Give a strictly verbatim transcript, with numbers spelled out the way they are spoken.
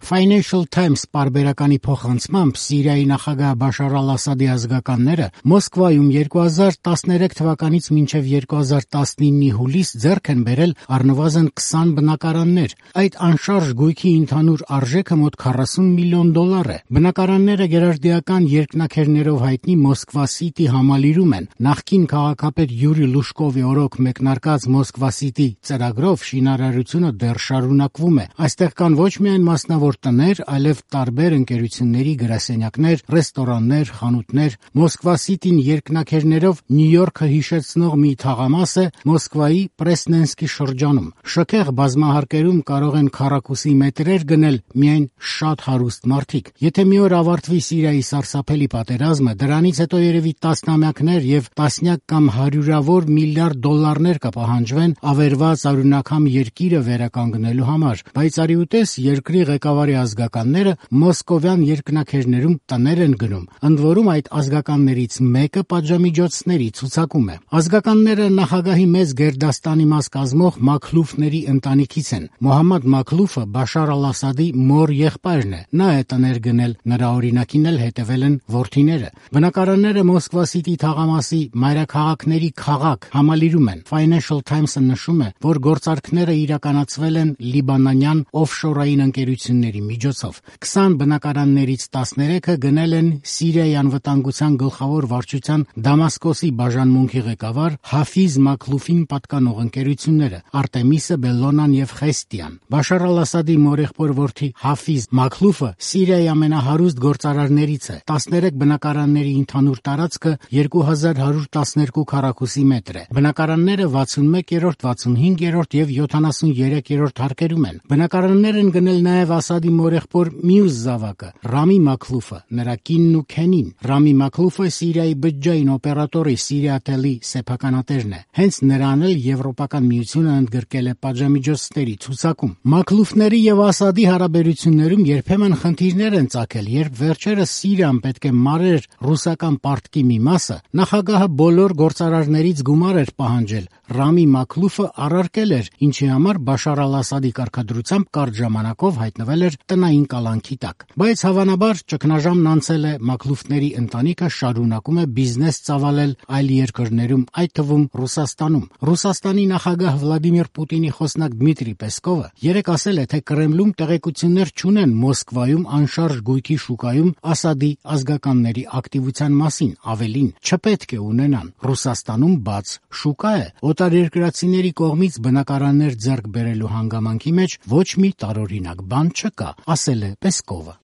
Financial Times պարբերականի փոխանցմամբ Սիրիայի նախագահ Բաշար al-Ասադի ազգականները Մոսկվայում երկու հազար տասներեք թվականից մինչև երկու հազար տասնինի հուլիս ձեռք են բերել առնվազն քսան բնակարաններ։ Այդ անշարժ գույքի ընդհանուր արժեքը մոտ քառասուն միլիոն դոլար է։ Բնակարանները գերարդիական երկնաքերներով հայտնի Մոսկվա City համալիրում են։ Նախկին քաղաքապետ Յուրի Լուշկովի օրոք մեկնարկած Մոսկվա City ծրագրով շինարարությունը դեռ շարունակվում է։ Այստեղ կան ոչ միայն մասնավոր տներ, այլև տարբեր ընկերությունների գրասենյակներ, ռեստորաններ, խանութներ։ Մոսկվա City-ն երկնաքերներով Նյու Յորքը հիշեցնող մի թաղամաս է Մոսկվայի Պրեսնենսկի շրջանում։ Շքեղ բազմահարկերում կարող են քառակուսի մետրեր գնել միայն շատ հարուստ մարդիկ։ Եթե մի օր ավարտվի Սիրիայի սարսափելի պատերազմը, դրանից հետո երևի տասնամյակներ եւ տասնյակ կամ հարյուրավոր միլիարդ դոլարներ կպահանջվեն ավերված արյունակամ երկիրը վերականգնելու համար։ Բայց արի ուտես երկրի ղեկավարի ազգականները մոսկովյան երկնաքերներում տներ են գնում։ Ընդ որում այդ ազգականներից մեկը պատժամիջոցների ցուցակում է։ Ազգականները նախագահի մեծ գերդաստանի մաս կազմող Մաքլուֆների ընտանիքից են։ Մոհամմադ Մաքլուֆը Բաշար al-Ասադի մոր եղբայրն է։ Նա է տներ գնել, նրա օրինակին էլ հետևել են որդիները։ Բնակարանները Մոսկվա City թաղամասի մայրաքաղաքների քաղաք համալիրում են։ Financial Times-ը նշում է, որ գործարքները իրականացվել են լիբանանյան օֆշորային ընկերությունների միջոցով։ քսան բնակարաններից տասներեքը գնել են Սիրիայի անվտանգության գլխավոր վարչության Դամասկոսի բաժանմունքի ղեկավար Հաֆիզ Մաքլուֆին պատկանող ընկերությունները՝ Արտեմիսը, Բելլոնան եւ Խեստիան։ Բաշար al-Ասադի մորեղբոր որդի Հաֆիզ Մաքլուֆը Սիրիայի ամենահարուստ գործարարներից է։ տասներեք բնակարանների ընդհանուր տարածքը երկու հազար հարյուր տասներկու քառակուսի մետր է։ Բնակարանները վաթսունմեկերորդ, վաթսունհինգերորդ եւ յոթանասուներեքերորդ հարկերում են։ Բնակարաններ են գնել նաև Ասադի մորեղբոր մյուս զավակը՝ Ռամի Մաքլուֆը, նրա կինն ու քենին։ Ռամի Մաքլուֆը Սիրիայի բջջային օպերատորի Սիրիաթելի սեփականատերն է։ Հենց նրան էլ Եվրոպական միությունը ընդգրկել է պատժամիջոցների ցուցակում։ Մաքլուֆների եւ Ասադի հարաբերություններում երբեմն խնդիրներ են ծագել, երբ վերջերս Սիրիան պետք է մարեր ռուսական պարտքի մի մասը, նախագահը բոլոր գործարարներից գումար էր պահանջել։ Ռամի Մաքլուֆը առարկել էր, ինչի համար Բաշար al-Ասադի կարգադրությամբ կարճ ժամանակով հայտնվել էր տնային կալանքի տակ։ Բայց հավանաբար ճգնաժամն անցել է, Մաքլուֆների ընտանիքը շարունակում է բիզնես ծավալել այլ երկրներում, այդ թվում Ռուսաստանում։ Ռուսաստանի նախագահ Վլադիմիր Պուտինի խոսնակ Դմիտրի Պեսկովը երեկ ասել է, թե Կրեմլում տեղեկություններ չունեն Մոսկվայում անշարժ գույքի շուկայում Ասադի ազգականների ակտիվության մասին, ավելին, չպետք է ունենան։ Ռուսաստանում բաց շուկա է։ Օտարերկրացիների կողմից բնակարաններ ձեռք բերելու հանգամանքի մեջ ոչ մի տարօրինակ բան չկա, ասել է Պեսկովը։